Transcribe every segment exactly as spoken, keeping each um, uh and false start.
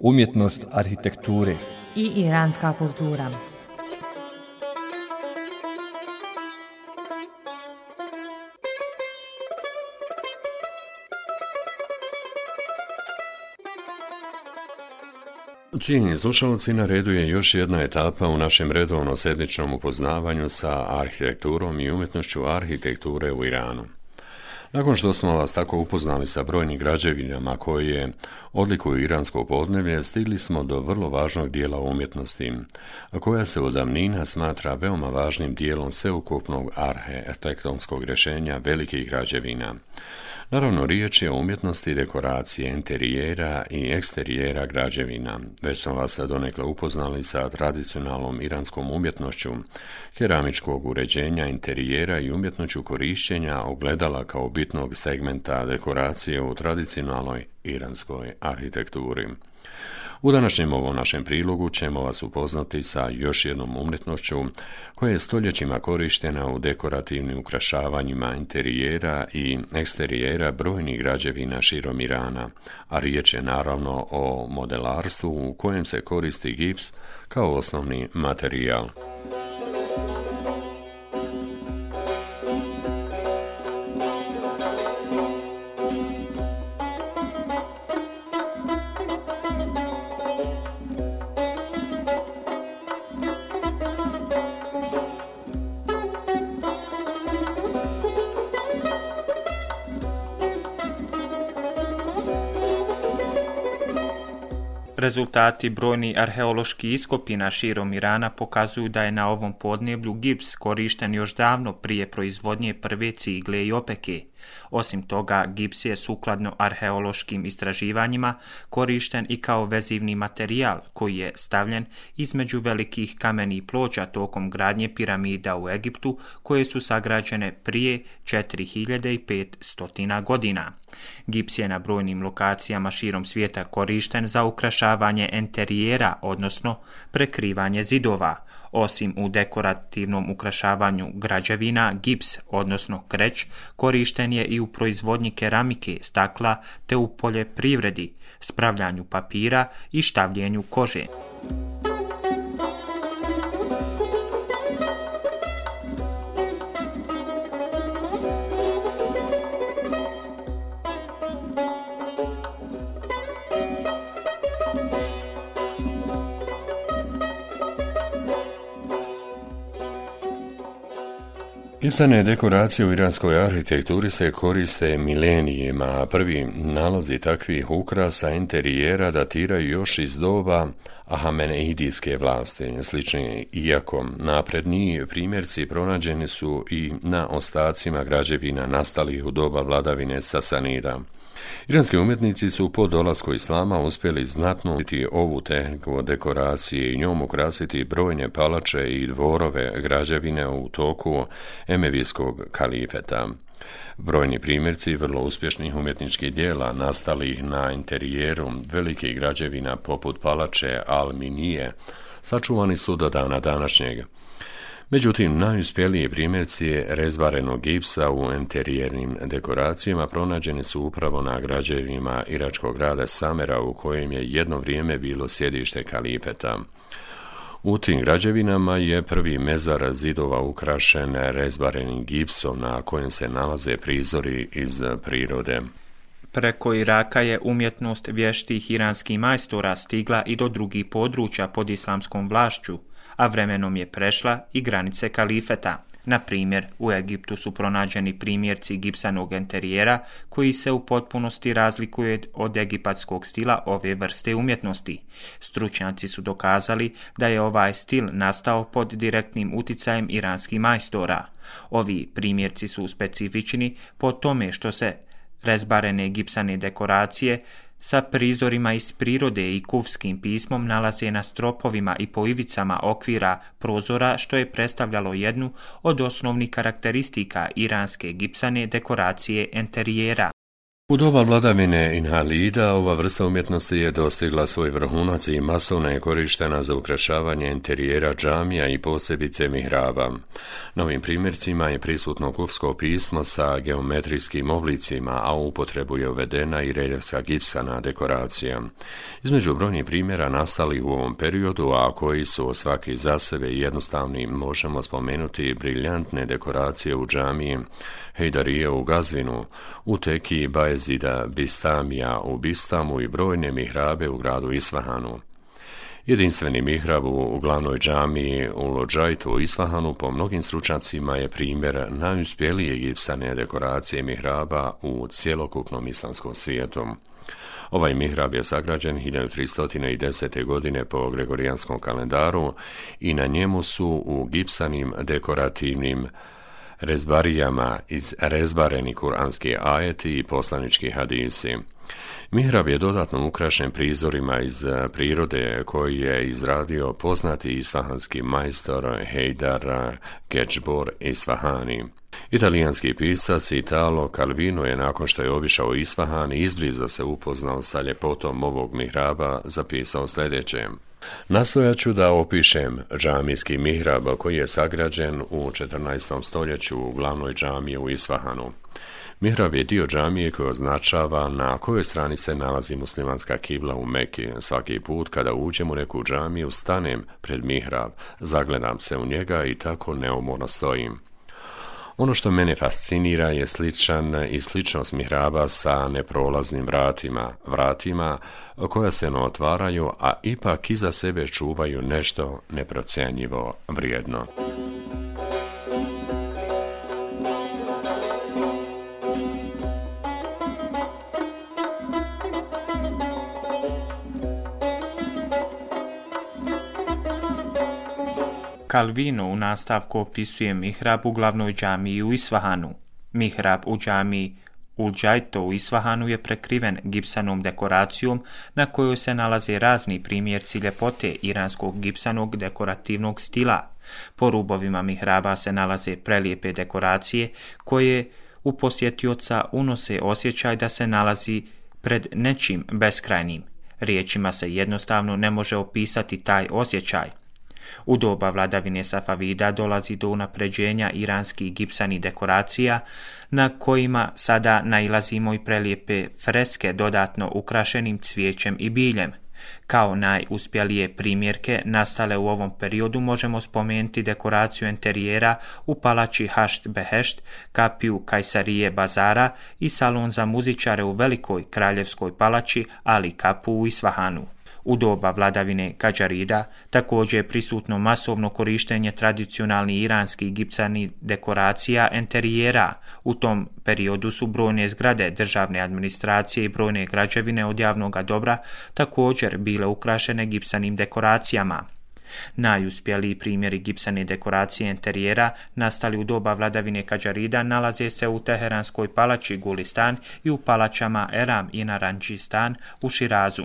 Umjetnost arhitekture i iranska kultura. Cijenjeni slušalci, na redu je još jedna etapa u našem redovno sedmičnom upoznavanju sa arhitekturom i umjetnošću arhitekture u Iranu. Nakon što smo vas tako upoznali sa brojnim građevinama koje odlikuju iransko podneblje, stigli smo do vrlo važnog dijela umjetnosti, koja se od davnina smatra veoma važnim dijelom sveukupnog arhitektonskog rješenja velikih građevina. Naravno, riječ je o umjetnosti dekoracije, interijera i eksterijera građevina. Već smo vas donekle upoznali sa tradicionalnom iranskom umjetnošću, keramičkog uređenja interijera i umjetnošću korišćenja ogledala kao bitnog segmenta dekoracije u tradicionalnoj iranskoj arhitekturi. U današnjem ovom našem prilogu ćemo vas upoznati sa još jednom umjetnošću koja je stoljećima korištena u dekorativnim ukrašavanjima interijera i eksterijera brojnih građevina širom Irana, a riječ je naravno o modelarstvu u kojem se koristi gips kao osnovni materijal. Rezultati brojnih arheoloških iskopina širom Irana pokazuju da je na ovom podneblju gips korišten još davno prije proizvodnje prve cigle i opeke. Osim toga, gips je sukladno arheološkim istraživanjima korišten i kao vezivni materijal koji je stavljen između velikih kamenih ploča tokom gradnje piramida u Egiptu koje su sagrađene prije četiri hiljade petsto godina. Gips je na brojnim lokacijama širom svijeta korišten za ukrašavanje enterijera, odnosno prekrivanje zidova. Osim u dekorativnom ukrašavanju građevina, gips, odnosno kreć, korišten je i u proizvodnji keramike, stakla te u poljoprivredi, spravljanju papira i štavljenju kože. Gipsane dekoracije u iranskoj arhitekturi se koriste milenijima, a prvi nalazi takvih ukrasa interijera datiraju još iz doba Ahamenidijske vlasti. Slični, iako napredniji primjerci pronađeni su i na ostacima građevina nastalih u doba vladavine Sasanida. Iranski umjetnici su po dolasku islama uspjeli znatno učiti ovu tehniku dekoracije i njom ukrasiti brojne palače i dvorove građevine u toku emevijskog kalifeta. Brojni primjerci vrlo uspješnih umjetničkih dijela nastalih na interijeru velikih građevina poput palače Al-Minije sačuvani su do dana današnjeg. Međutim, najuspjeliji primjerci rezbarenog gipsa u interijernim dekoracijama pronađeni su upravo na građevinama iračkog grada Samera u kojem je jedno vrijeme bilo sjedište kalifeta. U tim građevinama je prvi mezar zidova ukrašen rezbarenim gipsom na kojem se nalaze prizori iz prirode. Preko Iraka je umjetnost vještih iranskih majstora stigla i do drugih područja pod islamskom vlašću, a vremenom je prešla i granice kalifeta. Na primjer, u Egiptu su pronađeni primjerci gipsanog enterijera koji se u potpunosti razlikuje od egipatskog stila ove vrste umjetnosti. Stručnjaci su dokazali da je ovaj stil nastao pod direktnim uticajem iranskih majstora. Ovi primjerci su specifični po tome što se rezbarene gipsane dekoracije sa prizorima iz prirode i kufskim pismom nalaze na stropovima i po ivicama okvira prozora, što je predstavljalo jednu od osnovnih karakteristika iranske gipsane dekoracije enterijera. U doba vladavine Inhalida ova vrsta umjetnosti je dostigla svoj vrhunac i masovno je korištena za ukrašavanje interijera džamija i posebice mihraba. Na ovim primjercima je prisutno kufsko pismo sa geometrijskim oblicima, a u upotrebu je uvedena i reljefska gipsana dekoracija. Između brojnih primjera nastali u ovom periodu, a koji su svaki za sebe jednostavni, možemo spomenuti briljantne dekoracije u džamiji Hejdarije u Gazvinu, u Teki Bajezida Bistamija u Bistamu i brojne mihrabe u gradu Isfahanu. Jedinstveni mihrab u glavnoj džamiji u Lodžajtu u Isfahanu po mnogim stručnjacima je primjer najuspjelije gipsane dekoracije mihraba u cjelokupnom islamskom svijetu. Ovaj mihrab je sagrađen hiljadu tristo desete. godine po gregorijanskom kalendaru i na njemu su u gipsanim dekorativnim rezbarijama izrezbareni kuranski ajeti i poslanički hadisi. Mihrab je dodatno ukrašen prizorima iz prirode koji je izradio poznati isfahanski majstor Hejdar Kečbor Isfahani. Italijanski pisac Italo Calvino je nakon što je obišao Isfahan i izbliza se upoznao sa ljepotom ovog mihraba zapisao sljedeće. Nastojat ću da opišem džamijski mihrab koji je sagrađen u četrnaestom stoljeću u glavnoj džamiji u Isfahanu. Mihrab je dio džamije koji označava na kojoj strani se nalazi muslimanska kibla u Meki. Svaki put kada uđem u neku džamiju stanem pred mihrab, zagledam se u njega i tako neumorno stojim. Ono što mene fascinira je sličan i sličnost mihraba sa neprolaznim vratima, vratima koja se ne otvaraju, a ipak iza sebe čuvaju nešto neprocjenjivo vrijedno. Calvino u nastavku opisuje mihrab u glavnoj džamiji u Isfahanu. Mihrab u džamiji Ul-Džajto u Isfahanu je prekriven gipsanom dekoracijom na kojoj se nalaze razni primjerci ljepote iranskog gipsanog dekorativnog stila. Po rubovima mihraba se nalaze prelijepe dekoracije koje u posjetioca unose osjećaj da se nalazi pred nečim beskrajnim. Riječima se jednostavno ne može opisati taj osjećaj. U doba vladavine Safavida dolazi do unapređenja iranskih gipsanih dekoracija, na kojima sada nailazimo i prelijepe freske dodatno ukrašenim cvijećem i biljem. Kao najuspjelije primjerke nastale u ovom periodu možemo spomenuti dekoraciju interijera u palači Hašt Behešt, kapiju Kajsarije Bazara i salon za muzičare u velikoj kraljevskoj palači Ali Kapu u Isfahanu. U doba vladavine Kadžarida također je prisutno masovno korištenje tradicionalnih iranskih gipsanih dekoracija interijera. U tom periodu su brojne zgrade državne administracije i brojne građevine od javnog dobra također bile ukrašene gipsanim dekoracijama. Najuspjeliji primjeri gipsane dekoracije interijera nastali u doba vladavine Kadžarida nalaze se u Teheranskoj palači Gulistan i u palačama Eram i Naranđistan u Širazu.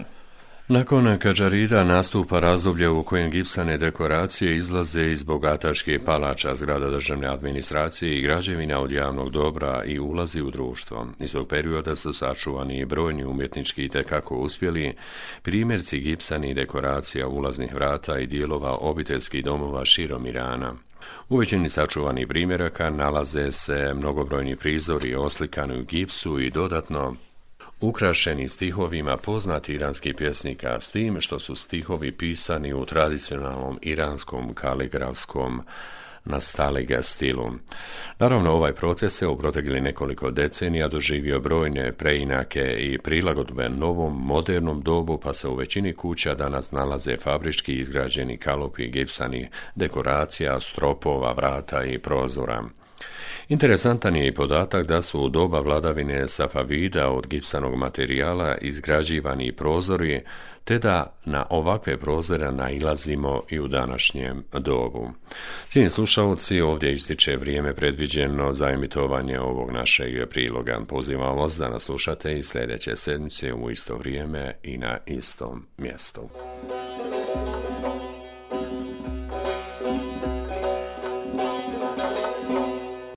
Nakon Kadžarida nastupa razdoblje u kojem gipsane dekoracije izlaze iz bogataških palača, zgrada državne administracije i građevina od javnog dobra i ulazi u društvo. Iz tog perioda su sačuvani i brojni umjetnički i tekako uspjeli primjerci gipsanih dekoracija ulaznih vrata i dijelova obiteljskih domova širom Irana. U većini sačuvanih primjeraka nalaze se mnogobrojni prizori oslikani u gipsu i dodatno ukrašeni stihovima poznati iranskih pjesnika, s tim što su stihovi pisani u tradicionalnom iranskom kaligrafskom nastaliga stilu. Naravno, ovaj proces se u proteklih nekoliko decenija doživio brojne preinake i prilagodbe novom, modernom dobu, pa se u većini kuća danas nalaze fabrički izgrađeni kalopi gipsanih dekoracija, stropova, vrata i prozora. Interesantan je i podatak da su u doba vladavine Safavida od gipsanog materijala izgrađivani prozori, te da na ovakve prozore nailazimo i u današnjem dobu. Cijenjeni slušalci, ovdje ističe vrijeme predviđeno za emitovanje ovog našeg priloga. Pozivam vas da nas slušate i sljedeće sedmice u isto vrijeme i na istom mjestu.